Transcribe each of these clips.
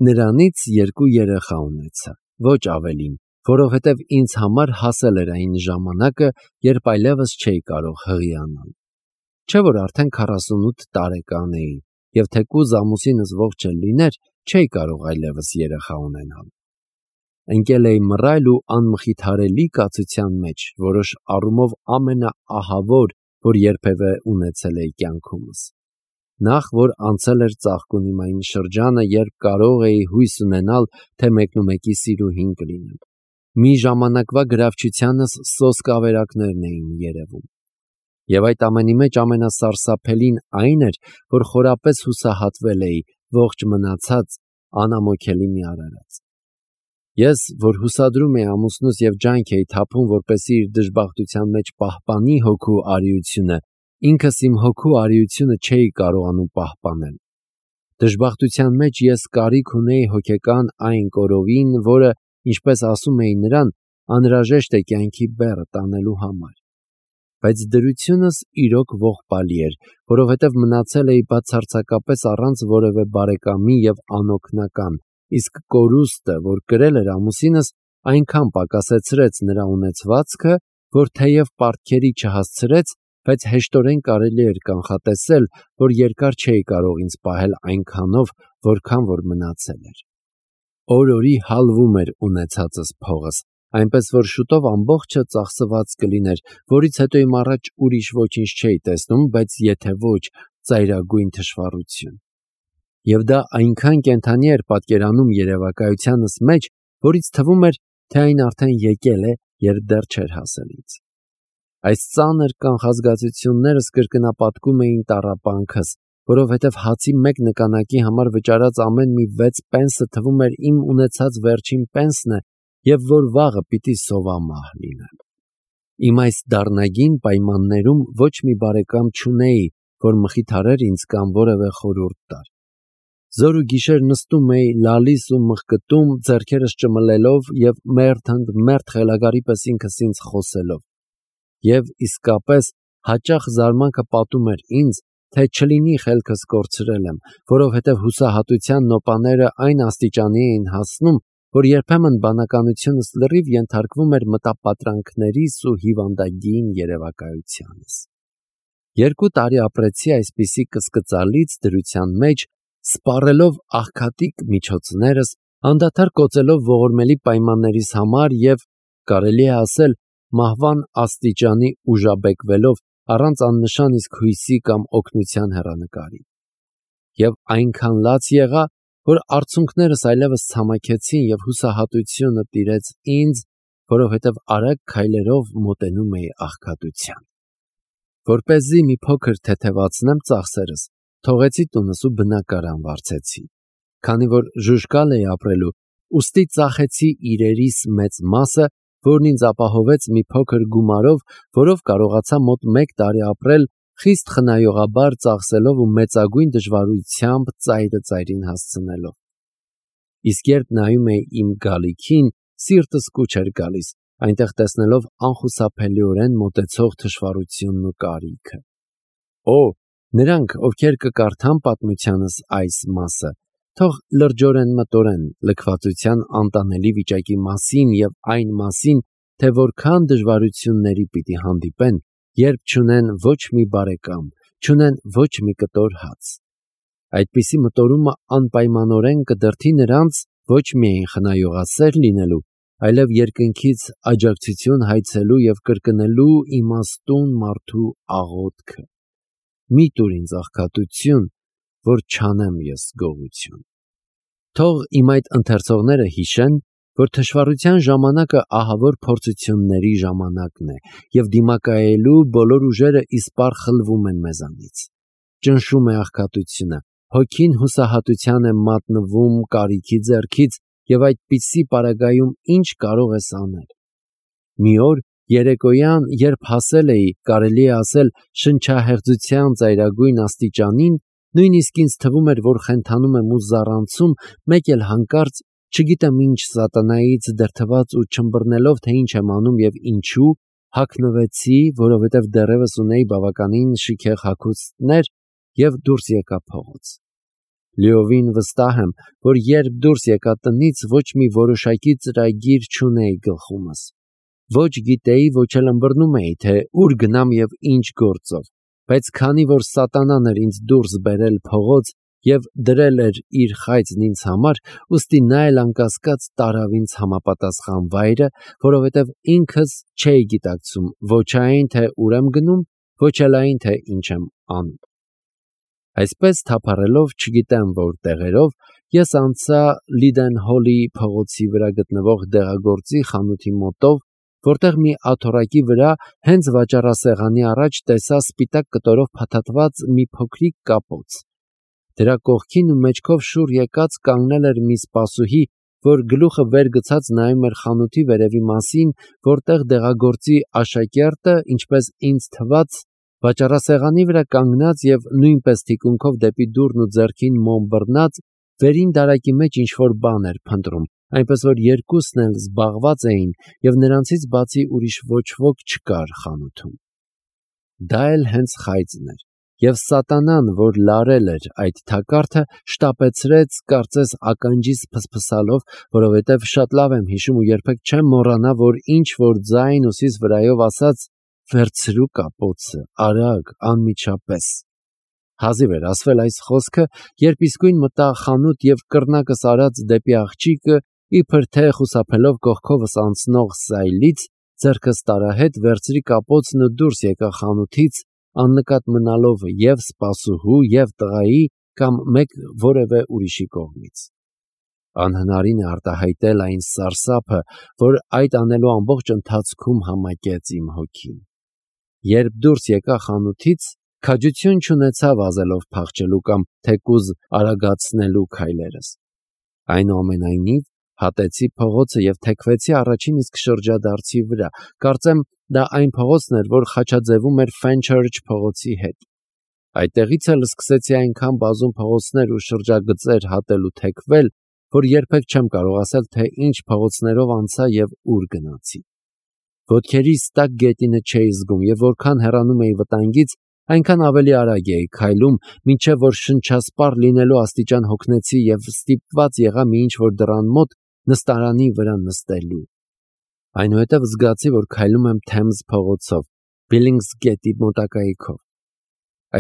Նրանից 2 երեխա ունեցա, ոչ ավելին, որովհետև ինձ համար հասել էր այն ժամանակը, երբ այլևս չէի կարող հղիանալ։ Չէ՞ որ արդեն 48 տարեկան էի, և թեկուզ ամուսինս ողջ էլ լիներ, չէի կարող այլևս երեխա ունենալ։ Ընկել էի մռայլ ու անմխիթարելի կացության մեջ, որոշ առումով ամենաահավոր, որ երբևէ ունեցել էի կյանքումս։ Նախ, որ անցել էր ծաղկունիմ այն շրջանը, երբ կարող էի հույս ունենալ, թե մեկնումեկի սիրուհին կլինեմ։ Մի ժամանակվա գրավչությանս սոսկ ավերակներն էին երևում։ Եվ այդ ամենի մեջ ամենասարսափելին այն էր, որ խորապես հուսահատվել էի, ողջ մնացած, անամոքելի մի արարած։ Ես, որ հուսադրում էի ամուսնուս և ջանք էի թափում, որպեսզի իր դժբախտության մեջ պահպանի հոգու արիությունը, ինքս իմ հոգու արիությունը չէի կարողանում պահպանել։ Դժբախտության մեջ ես կարիք ունեի հոգեկան այն կորովին, որը, ինչպես ասում էին նրան, անհրաժեշտ է կյանքի բեռը տանելու համար։ Բայց դրությունս իրոք ողբալի էր, որովհետև մնացել էի բացարձակապես առանց որևէ բարեկամի և անօգնական, իսկ կորուստը, որ կրել էր ամուսինս, այնքան պակասեցրեց նրա ունեցվածքը, որ թեև պարտքերի չհասցրեց, բայց հեշտորեն կարելի էր կանխատեսել, որ երկար չէի կարող ինձ պահել այնքանով, որքան որ մնացել էր։ Օր-օրի հալվում էր ունեցածս փողս, այնպես որ շուտով ամբողջը ծախսված կլիներ, որից հետո իմ առաջ ուրիշ ոչինչ չէի տեսնում, բայց եթե ոչ ծայրագույն թշվառություն։ Եվ դա այնքան կենդանի էր պատկերանում երևակայությանս մեջ, որից թվում էր, թե այն արդեն եկել է, երբ դեռ չէր հասել ինձ։ Այս ծանր կանխազգացություններս կրկնապատկում էին տառապանքս, որովհետև հացի մեկ նկանակի համար վճարած ամեն մի 6 պենսը թվում էր իմ ունեցած վերջին պենսն է, և որ վաղը պիտի սովամահ լինեմ։ Իմ այս դառնագին պայմաններում ոչ մի բարեկամ չունեի, որ մխիթարեր ինձ կամ որևէ խորհուրդ տար։ Զոր ու գիշեր նստում էի, լալիս ու մղկտում, ձեռքերս ճմլելով և մերթ խելագարի պես ինքս ինձ խոսելով։ Եվ իսկապես հաճախ զարմանքը պատում էր ինձ, թե չլինի խելքս կորցրել եմ, որովհետև հուսահատության նոպաները այն աստիճանի էին հասնում, որ երբեմն բանականությունս լրիվ ենթարկվում էր մտապատրանքներիս ու հիվանդագին երևակայությանս։ 2 տարի ապրեցի այսպիսի կսկծալից դրության մեջ, սպառելով աղքատիկ միջոցներս, անդադար կոծելով ողորմելի պայմաններիս համար և, կարելի է ասել, մահվան աստիճանի ուժաբեկվելով առանց աննշան իսկ հույսի կամ օգնության հեռանկարի։ Եվ այնքան լաց եղա, որ արցունքներս այլևս ցամաքեցին և հուսահատությունը տիրեց ինձ, որովհետև արագ քայլերով մոտենում էի աղքատության։ Որպեսզի մի փոքր թեթևացնեմ ծախսերս, թողեցի տունս ու բնակարան վարձեցի։ Քանի որ ժուժկալ էի ապրելու, ուստի ծախեցի իրերիս մեծ մասը, որն ինձ ապահովեց մի փոքր գումարով, որով կարողացա մոտ 1 տարի ապրել, խիստ խնայողաբար ծախսելով ու մեծագույն դժվարությամբ ծայրը ծայրին հասցնելով։ Իսկ երբ նայում էի իմ գալիքին, սիրտս կուչ էր գալիս, այնտեղ տեսնելով անխուսափելիորեն մոտեցող թշվառությունն ու կարիքը։ Նրանք, ովքեր կկարդան պատմությանս այս մասը, թող լրջորեն մտորեն լքվածության անտանելի վիճակի մասին և այն մասին, թե որքան դժվարությունների պիտի հանդիպեն, երբ չունեն ոչ մի բարեկամ, չունեն ոչ մի կտոր հաց։ Այդպիսի մտորումը անպայմանորեն կդրդի նրանց ոչ միայն խնայողասեր լինելու, այլև երկնքից աջակցություն հայցելու և կրկնելու իմաստուն մարդու աղոթքը. «Մի տուր ինձ աղքատություն, որ չանեմ ես գողություն»։ Թող իմ այդ ընթերցողները հիշեն, որ թշվառության ժամանակը ահավոր փորձությունների ժամանակն է, և դիմակայելու բոլոր ուժերը իսպառ խլվում են մեզանից։ Ճնշում է աղքատությունը, հոգին հուսահատության է մատնվում կարիքի ձեռքից, և այդպիսի պարագայում ինչ կարող ես անել։ Մի օր երեկոյան, երբ հասել էի, կարելի է ասել, շնչահեղձության ծայրագույն աստիճանին, նույնիսկ ինձ թվում էր, որ խենթանում եմ ու զառանցում, մեկ էլ հանկարծ, չգիտեմ ինչ սատանայից դրդված ու չըմբռնելով, թե ինչ եմ անում և ինչու, հագնվեցի, որովհետև դեռևս ունեի բավականին շքեղ հագուստներ, և դուրս եկա փողոց։ Լիովին վստահ եմ, որ երբ դուրս եկա տնից, ոչ մի որոշակի ծրագիր չունեի գլխումս։ Ոչ գիտեի, ոչ էլ ըմբռնում էի, թե ուր գնամ եւ ինչ գործով, բայց քանի որ սատանան էր ինձ դուրս բերել փողոց եւ դրել էր իր խայծն ինձ համար, ուստի նա էլ անկասկած տարավ ինձ համապատասխան վայրը, որովհետեւ ինքս չէի գիտակցում ոչ այն, թե ուր եմ գնում, ոչ էլ այն, թե ինչ եմ անում։ Այսպես թափառելով չգիտեմ որ տեղերով, ես անցա Լիդենհոլի փողոցի վրա գտնվող դեղագործի խանութի մոտով, որտեղ մի աթոռակի վրա հենց վաճառասեղանի առաջ տեսա սպիտակ կտորով փաթաթված մի փոքրիկ կապոց։ Դրա կողքին ու մեջքով շուռ եկած կանգնել էր մի սպասուհի, որ գլուխը վեր գցած նայում էր խանութի վերևի մասին, որտեղ դեղագործի աշակերտը, ինչպես ինձ թվաց, վաճառասեղանի վրա կանգնած եւ նույնպես թիկունքով դեպի դուռն ու ձեռքին մոմ բռնած, վերին դարակի մեջ ինչ-որ բան էր փնտրում, այնպես որ երկուսն էլ զբաղված էին եւ նրանցից բացի ուրիշ ոչ ոք չկար խանութում։ Դա էլ հենց խայծն էր, եւ սատանան, որ լարել էր այդ թակարդը, շտապեցրեց, կարծես ականջիս փսփսալով, որովհետեւ շատ լավ եմ հիշում ու երբեք չեմ մոռանա, որ ինչ որ ձայն ուսիս վրայով ասաց. «Վերցրու կապոցը, արագ, անմիջապես»։ Հազիվ էր ասվել այս խոսքը, երբ իսկույն մտա խանութ եւ կռնակս արած դեպի աղջիկը, իբր թե խուսափելով կողքովս անցնող սայլից, ձեռքս տարահետ վերցրի կապոցն ու դուրս եկա խանութից, աննկատ մնալով եւ սպասուհու եւ տղայի կամ մեկ որևէ ուրիշի կողմից։ Անհնարին է արտահայտել այն սարսափը, որ այդ անելու ամբողջ ընթացքում համակեց իմ հոգին։ Երբ դուրս եկա խանութից, քաջություն չունեցա վազելով փախչելու կամ թեկուզ արագացնելու քայլերս։ Այնուամենայնիվ, հատեցի փողոցը եւ թեքվեցի առաջին իսկ շրջադարձի վրա։ Կարծեմ, դա այն փողոցն էր, որ խաչաձևում էր Fenchurch փողոցի հետ։ Այդտեղից էլ սկսեցի այնքան բազում փողոցներ ու շրջագծեր հատել ու թեքվել, որ երբեք չեմ կարող ասել, թե ինչ փողոցներով անցա եւ ուր գնացի։ Ոտքերիս տակ գետինը չէի զգում եւ որքան հեռանում էի վտանգից, այնքան ավելի արագ էի քայլում, մինչեւ որ շնչասպառ լինելու աստիճան հոգնեցի եւ ստիպված եղա մի ինչ-որ դռան մոտ նստարանի վրա նստելու։ Այնուհետև զգացի, որ քայլում եմ Թեմզ փողոցով, Բիլինգսգեթի մոտակայքով։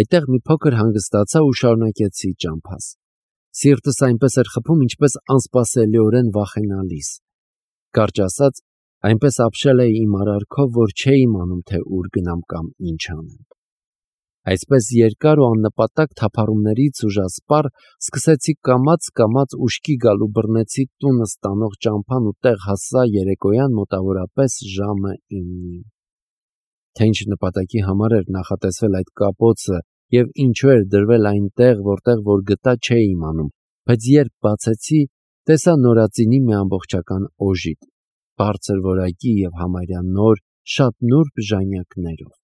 Այդտեղ մի փոքր հանգստացա ու շարունակեցի ճամփաս։ Սիրտս այնպես էր խփում, ինչպես անսպասելիորեն վախենալիս։ Կարճ ասած, այնպես ապշել էի իմ արարքով, որ չէի իմանում, թե ուր գնամ կամ ինչ անեմ։ Այսպես երկար ու աննպատակ թափառումներից ուժասպառ սկսեցի կամաց ուշքի գալ ու բռնեցի տունը ստանող ճամփան ու տեղ հասա երեկոյան մոտավորապես ժամը 9-ին։ Թե ինչ նպատակի համար էր նախատեսվել այդ կապոցը եւ ինչու էր դրվել այնտեղ, որտեղ որ գտա չէի իմանում, բայց երբ բացեցի, տեսա նորածինի մի ամբողջական օժիտ, բարձր որակի եւ համարյա նոր, շատ նուրբ ժանյակներով։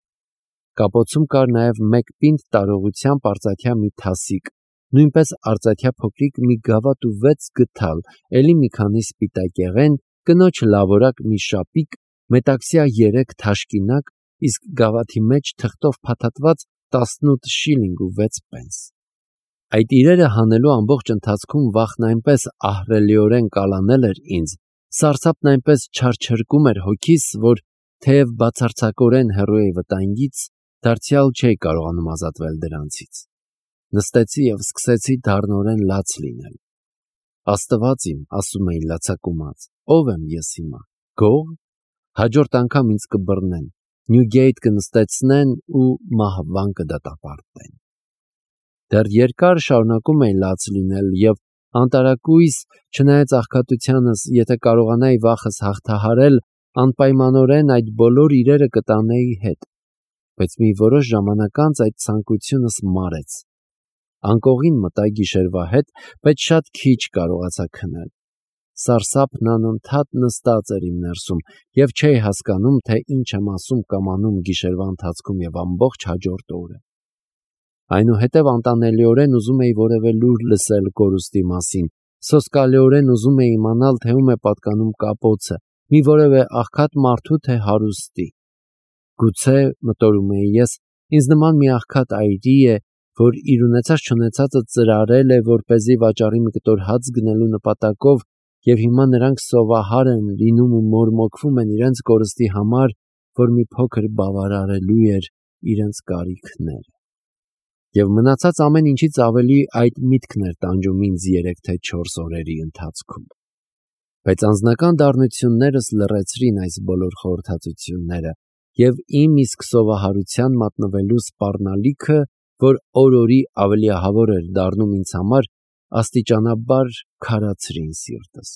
Կապոցում կար նաեւ մեկ պինդ տարողությամբ արծաթյա մի թասիկ, նույնպես արծաթյա փոքրիկ մի գավաթ ու 6 գդալ, ելի մի քանի սպիտակեղեն, կնոջ լավորակ մի շապիկ, մետաքսյա 3 թաշկինակ, իսկ գավաթի մեջ թղթով փաթաթված 18 շիլինգ ու 6 պենս։ Այդ իրերը հանելու ամբողջ ընթացքում վախն այնպես ահռելիորեն կալանել էր ինձ, սարսափն այնպես չարչրկում էր հոգիս, որ թեև բացարձակորեն հեռու էի վտանգից, դարձյալ չէի կարողանում ազատվել դրանցից։ Նստեցի եւ սկսեցի դառնորեն լաց լինել։ Աստված իմ, ասում էի լացակումած, ով եմ ես հիմա, գող։ Հաջորդ անգամ ինձ կբռնեն, Նյուգեյթ կնստեցնեն ու մահվան կդատապարտեն։ Դեռ երկար շարունակում էի լաց լինել եւ անտարակույս, չնայած աղքատությանս, եթե կարողանայի վախս հաղթահարել, անպայմանորեն այդ բոլոր իրերը կտանեի հետ, բայց մի որոշ ժամանակ անց այդ ցանկությունս մարեց։ Անկողին մտա գիշերվա հետ, բայց շատ քիչ կարողացա քնել։ Սարսափն անընդհատ նստած էր իմ ներսում եւ չէի հասկանում, թե ինչ եմ ասում կամ անում գիշերվա ընթացքում եւ ամբողջ հաջորդ օրը։ Այնուհետև անտանելիորեն ուզում էի որևէ լուր լսել կորուստի մասին, սոսկալիորեն ուզում էի իմանալ, թե ում է պատկանում կապոցը, մի որևէ աղքատ մարդու թե հարուստի։ Գուցե, մտորում էի ես, ինձ նման մի աղքատ այրի է, որ իր ունեցած չունեցածը ծրարել է, որպեսզի վաճառի մի կտոր հաց գնելու նպատակով, եւ հիմա նրանք սովահար են լինում ու մորմոքվում են իրենց կորստի համար, որ մի փոքր բավարարելու էր իրենց կարիքները։ Եվ մնացած ամեն ինչից ավելի այդ միտքն էր տանջում ինձ 3 թե 4 օրերի ընթացքում։ Բայց անձնական դառնություններս լռեցրին այս բոլոր խորհրդածությունները, եւ իմ իսկ սովահարության մատնվելու սպառնալիքը, որ օր-օրի ավելի ահավոր էր դառնում ինձ համար, աստիճանաբար քարացրին սիրտս։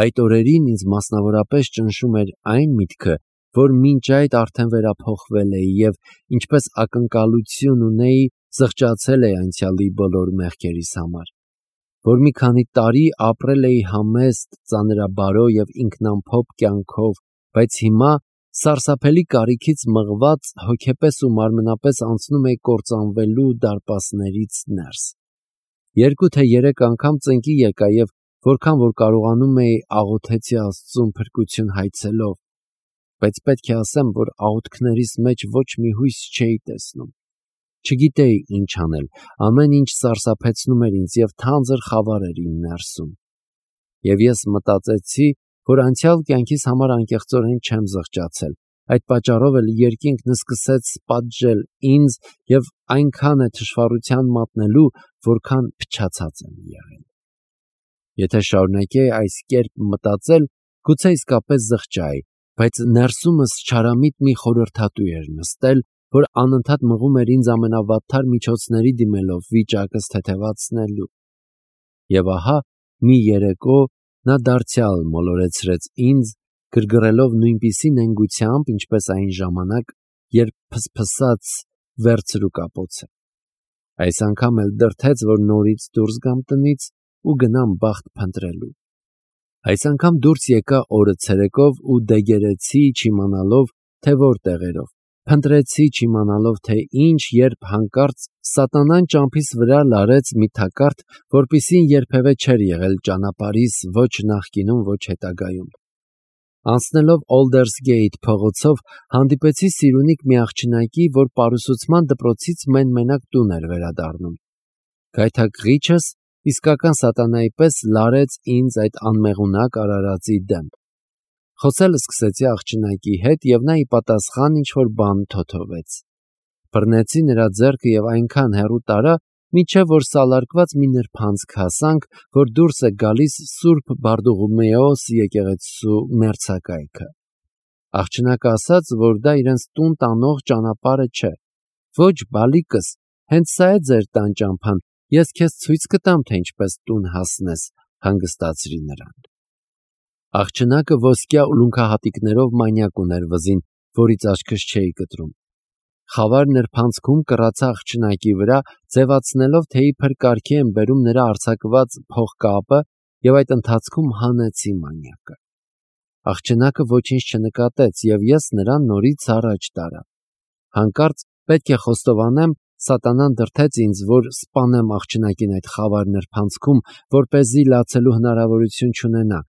Այդ օրերին ինձ մասնավորապես ճնշում էր այն միտքը, որ մինչ այդ արդեն վերափոխվել էի եւ ինչպես ակնկալություն ունեի զղջացել էի անցյալի բոլոր մեղքերիս համար, որ մի քանի տարի ապրել էի համեստ, ծանրաբարո եւ ինքնամփոփ կյանքով, բայց հիմա սարսափելի կարիքից մղված հոգեպես ու մարմնապես անցնում էի կործանվելու դարպասներից ներս։ 2 թե 3 անգամ ծնկի եկա եւ որքան որ կարողանում էի աղոթեցի Աստծուն փրկություն հայցելով, բայց պետք է ասեմ, որ աղոթքներիս մեջ ոչ մի հույս չէի տեսնում։ Չգիտեի ինչ անել, ամեն ինչ սարսափեցնում էր ինձ եւ թանձր խավար էր իմ ներսում։ Եվ ես մտածեցի, որ անցյալ կյանքիս համար անկեղծորեն չեմ զղջացել, այդ պատճառով էլ երկինքն սկսեց պատժել ինձ եւ այնքան է թշվառության մատնելու, որքան փչացած եմ եղել։ Եթե շարունակեի այս կերպ մտածել, գուցե իսկապես զղջայի, բայց ներսումս չարամիտ մի խորհրդատու էր նստել, որ անընդհատ մղում էր ինձ ամենավատթար միջոցների դիմելով վիճակս թեթևացնելու։ Եվ ահա մի երեկո նա դարձյալ մոլորեցրեց ինձ, գրգռելով նույնպիսի նենգությամբ, ինչպես այն ժամանակ, երբ փսփսաց վերցրու կապոցը։ Այս անգամ էլ դրթեց, որ նորից դուրս գամ տնից ու գնամ բախտ փնտրելու։ Այս անգամ դուրս եկա օրը ցերեկով ու դեգերեցի չիմանալով, թե որ տեղերով։ Փնտրեցի չիմանալով, թե ինչ, երբ հանկարծ սատանան ճամփիս վրա լարեց մի թակարդ, որպիսին երբևէ չէր եղել ճանապարհիս ոչ նախկինում, ոչ հետագայում։ Անցնելով Aldersgate փողոցով հանդիպեցի Սիրունիկ մի աղջնակի, որ պարուսուցման դպրոցից մենակ տուն էր վերադառնում։ Գայթակղիչս իսկական սատանայի պես լարեց ինձ այդ անմեղունակ արարածի դեմ։ Խոսել սկսեցի աղջնակի հետ եւ նա ի պատասխան ինչ-որ բան թոթովեց։ Բռնեցի նրա ձեռքը եւ այնքան հեռու տարա, մինչև որ սալարկված մի նրբանցք հասանք, որ դուրս է գալիս Սուրբ Բարդուղիմեոս եկեղեցու մերձակայքը։ Աղջնակը ասաց, որ դա իրենց տուն տանող ճանապարհը չէ։ Ոչ, բալիկս, հենց սա է ձեր տան ճամփան, ես քեզ ցույց կտամ, թե ինչպես տուն հասնես, հանգստացրի նրան։ Աղջնակը ոսկյա ուլունքահատիկներով մանյակ ուներ վզին, որից աչքս չէի կտրում։ Խավար նրբանցքում կռացա աղջնակի վրա, ձևացնելով, թե իբր կարգի եմ բերում նրա արձակված փողկապը եւ այդ ընթացքում հանեցի մանյակը։ Աղջնակը ոչինչ չնկատեց եւ ես նրան նորից առաջ տարա։ Հանկարծ պետք է խոստովանեմ, սատանան դրթեց ինձ, որ սպանեմ աղջնակին այդ խավար նրբանցքում, որպեսզի լացելու հնարավորություն չունենա,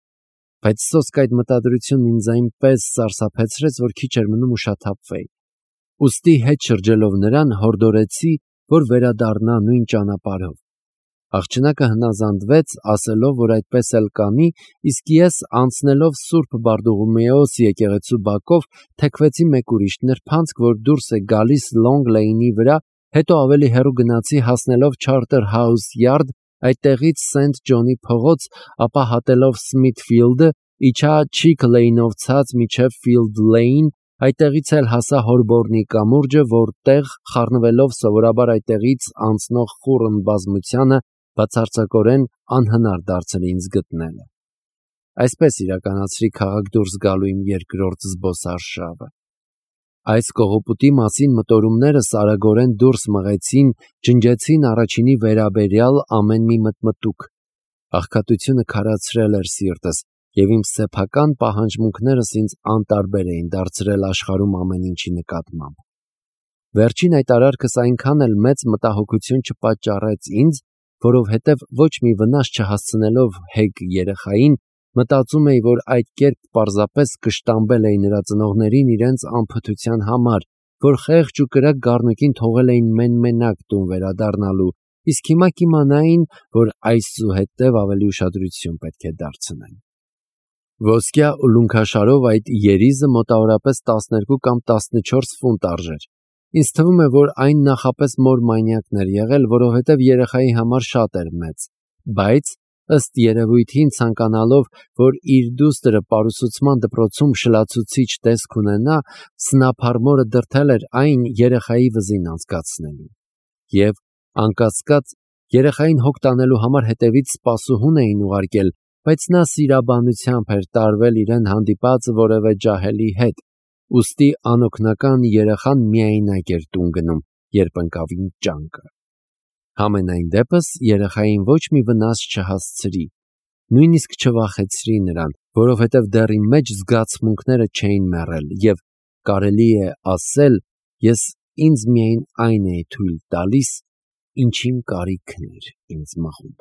բայց սոսկ այդ մտադրությունն ինձ այնպես սարսափեցրեց, որ քիչ էր մնում ուշաթափվեի։ Ուստի հետ շրջելով նրան հորդորեցի, որ վերադառնա նույն ճանապարհով։ Աղջնակը հնազանդվեց, ասելով, որ այդպես էլ կանի, իսկ ես անցնելով Սուրբ Բարդուղիմեոս եկեղեցու բակով թեքվեցի մեկ ուրիշ նրբանցք, որ դուրս է գալիս Long Lane-ի վրա, հետո ավելի հեռու գնացի հասնելով Charterhouse Yard, այդտեղից St. John-ի փողոց, ապա հատելով Smithfield-ը, իջա Chick Lane-ով ցած մինչև Field Lane, այդտեղից էլ հասա Holborn-ի կամուրջը, որտեղ խառնվելով սովորաբար այդտեղից անցնող խուռն բազմությանը բացարձակորեն անհնար դարձել ինձ գտնելը։ Այսպես իրականացրի քաղաք դուրս գալու իմ երկրորդ զբոսարշավը։ Այս կողոպուտի մասին մտորումներս արագորեն դուրս մղեցին, ջնջեցին առաջինի վերաբերյալ ամեն մի մտմտուկ։ Աղքատությունը քարացրել էր սիրտս, եւ իմ սեփական պահանջմունքներս ինձ անտարբեր էին դարձրել աշխարհում ամեն ինչի նկատմամբ։ Վերջին այդ արարքս այնքան էլ մեծ մտահոգություն չպատճառեց ինձ, որովհետև ոչ մի վնաս չհասցնելով հեգ երեխային, մտածում էի, որ այդ կերպ պարզապես կշտամբել էի նրա ծնողներին իրենց անփթության համար, որ խեղճ ու կրակ գառնուկին թողել էին մենակ տուն վերադառնալու, իսկ հիմա կիմանային, որ այսուհետև ավելի ուշադրություն պետք է դարձնեն։ Ոսկյա ու լունքաշարով այդ երիզը մոտավորապես 12 կամ 14 ֆունտ արժեր։ Ինձ թվում է, որ այն նախապես մոր մանյակն էր եղել, որովհետև երեխայի համար շատ էր մեծ, բայց ըստ երևույթին ցանկանալով, որ իր դուստրը պարուսուցման դպրոցում շլացուցիչ տեսք ունենա, սնափառմորը դրդել էր այն երեխայի վզին անցկացնելու։ Եվ, անկասկած, երեխային հոգ տանելու համար հետևից սպասուհուն էին ուղարկել, բայց նա սիրաբանությամբ էր տարվել իրեն հանդիպած որևէ ջահելի հետ, ուստի անօգնական երեխան միայնակ էր տուն գնում, երբ ընկավ ճանկը։ Համենայն դեպս երեխային ոչ մի վնաս չհասցրի, նույնիսկ չվախեցրի նրան, որովհետև դեռ իմ մեջ զգացմունքները չէին մեռել, և կարելի է ասել, ես ինձ միայն այն էի թույլ տալիս, ինչին կարիքն էր ինձ մղում։